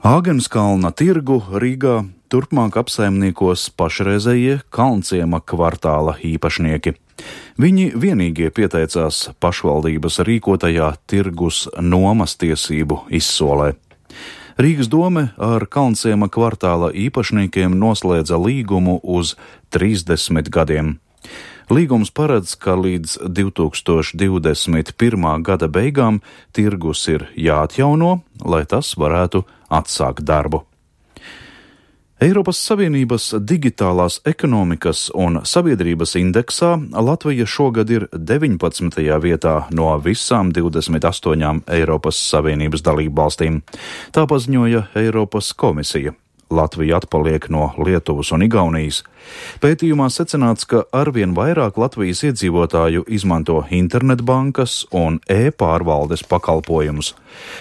Āgenskalna tirgu Rīgā turpmāk apsaimniekos pašreizējie Kalnciema kvartāla īpašnieki. Viņi vienīgie pieteicās pašvaldības rīkotajā tirgus nomas tiesību izsolē. Rīgas dome ar Kalnciema kvartāla īpašniekiem noslēdza līgumu uz 30 gadiem. Līgums paredz, ka līdz 2021. gada beigām tirgus ir jāatjauno, lai tas varētu atsākt darbu. Eiropas Savienības digitālās ekonomikas un sabiedrības indeksā Latvija šogad ir 19. vietā no visām 28 Eiropas Savienības dalībvalstīm. Tā paziņoja Eiropas komisija. Latvija atpaliek no Lietuvas un Igaunijas. Pētījumā secināts, ka arvien vairāk Latvijas iedzīvotāju izmanto internetbankas un e-pārvaldes pakalpojumus,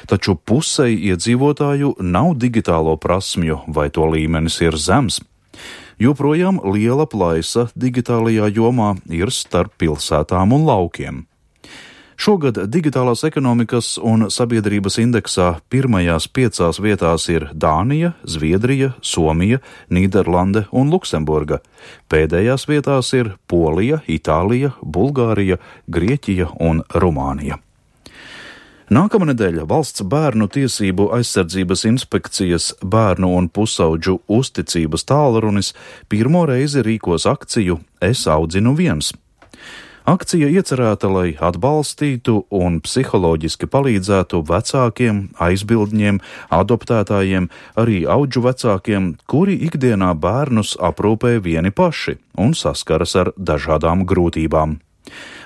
taču pusei iedzīvotāju nav digitālo prasmju vai to līmenis ir zems. Joprojām liela plaisa digitālajā jomā ir starp pilsētām un laukiem. Šogad digitālās ekonomikas un sabiedrības indeksā pirmajās 5 vietās ir Dānija, Zviedrija, Somija, Nīderlande un Luksemburga. Pēdējās vietās ir Polija, Itālija, Bulgārija, Grieķija un Rumānija. Nākamnedēļ Valsts bērnu tiesību aizsardzības inspekcijas bērnu un pusauģu uzticības tālrunis pirmo reizi rīkos akciju Es audzinu viens. Akcija iecerēta, lai atbalstītu un psiholoģiski palīdzētu vecākiem, aizbildņiem, adoptētājiem, arī audžu vecākiem, kuri ikdienā bērnus aprūpē vieni paši un saskaras ar dažādām grūtībām.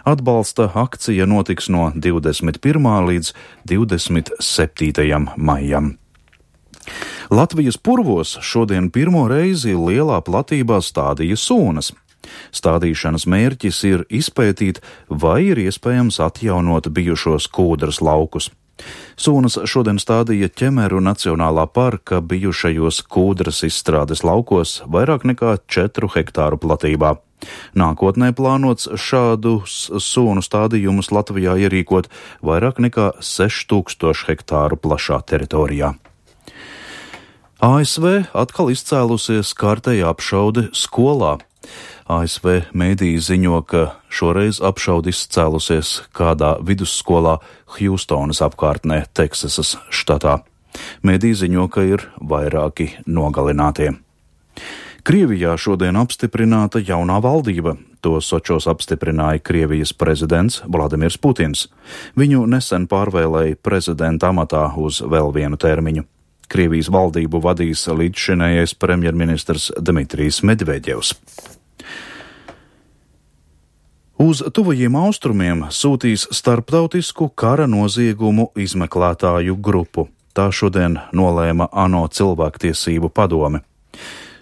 Atbalsta akcija notiks no 21. līdz 27. maijam. Latvijas purvos šodien pirmo reizi lielā platībā stādīja sūnas. Stādīšanas mērķis ir izpētīt, vai ir iespējams atjaunot bijušos kūdras laukus. Sūnas šodien stādīja Ķemeru Nacionālā parka bijušajos kūdras izstrādes laukos vairāk nekā 4 hektāru platībā. Nākotnē plānots šādus sūnu stādījumus Latvijā ierīkot vairāk nekā 6000 hektāru plašā teritorijā. ASV atkal izcēlusies kārtēja apšaude skolā. ASV mēdīji ziņo, ka šoreiz apšaude izcēlusies kādā vidusskolā Hjustonas apkārtnē, Teksasas štatā. Mēdīji ziņo, ka ir vairāki nogalinātie. Krievijā šodien apstiprināta jaunā valdība. To Sočos apstiprināja Krievijas prezidents Vladimirs Putins. Viņu nesen pārvēlēja prezidenta amatā uz vēl vienu termiņu. Krievijas valdību vadīs līdzšinējais premjerministrs Dmitrijs Medvedevs. Uz tuvajiem austrumiem sūtīs starptautisku kara noziegumu izmeklētāju grupu. Tā šodien nolēma ANO cilvēktiesību padome.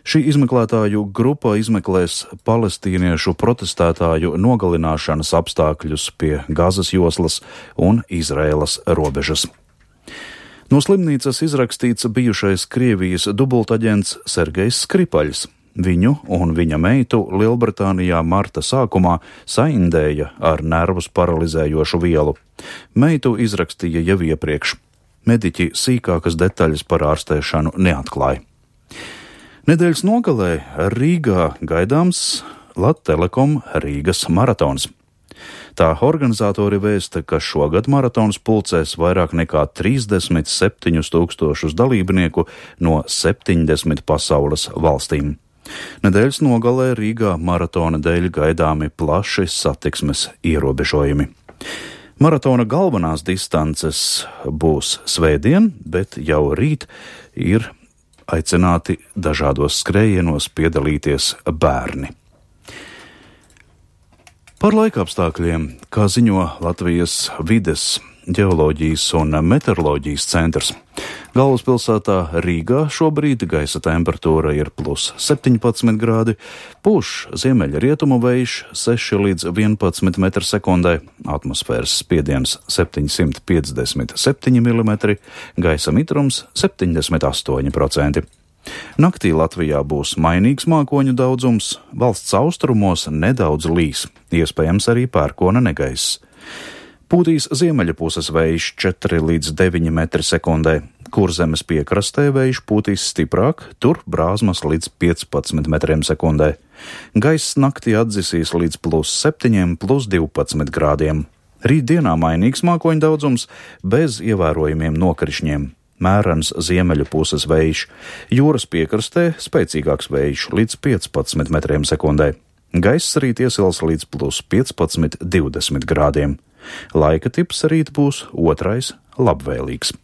Šī izmeklētāju grupa izmeklēs palestīniešu protestētāju nogalināšanas apstākļus pie Gazas joslas un Izraēlas robežas. No slimnīcas izrakstīts bijušais Krievijas dubultaģents Sergejs Skripaļs. Viņu un viņa meitu Lielbritānijā marta sākumā saindēja ar nervus paralizējošu vielu. Meitu izrakstīja jau iepriekš. Mediķi sīkākas detaļas par ārstēšanu neatklāja. Nedēļas nogalē Rīgā gaidāms Lat-Telekom Rīgas maratons. Tā organizatori vēsta, ka šogad maratons pulcēs vairāk nekā 37 000 dalībnieku no 70 pasaules valstīm. Nedēļas nogalē Rīgā maratona dēļ gaidāmi plaši satiksmes ierobežojumi. Maratona galvenās distances būs svētdien, bet jau rīt ir aicināti dažādos skrējienos piedalīties bērni. Par laikapstākļiem, kā ziņo Latvijas vides, ģeoloģijas un meteoroloģijas centrs. Galvaspilsētā Rīgā šobrīd gaisa temperatūra ir +17 grādi, pūš ziemeļrietumu vējš 6 līdz 11 m/sekundē, atmosfēras spiediens 757 mm, gaisa mitrums 78%. Naktī Latvijā būs mainīgs mākoņu daudzums, valsts austrumos nedaudz līs, iespējams arī pērkona negaiss. Pūtīs ziemeļa puses vējš 4 līdz 9 m/sekundē, Kurzemes piekrastē vējš pūtīs stiprāk, tur brāzmas līdz 15 metriem sekundē. Gaiss naktī atdzisīs līdz +7, +12 grādiem. Rītdienā mainīgs mākoņu daudzums bez ievērojumiem nokrišņiem. Mērens ziemeļu puses vējš, jūras piekrastē spēcīgāks vējš līdz 15 metriem sekundē. Gaiss rīt iesils līdz +15, 20 grādiem. Laika tips rīt būs otrais labvēlīgs.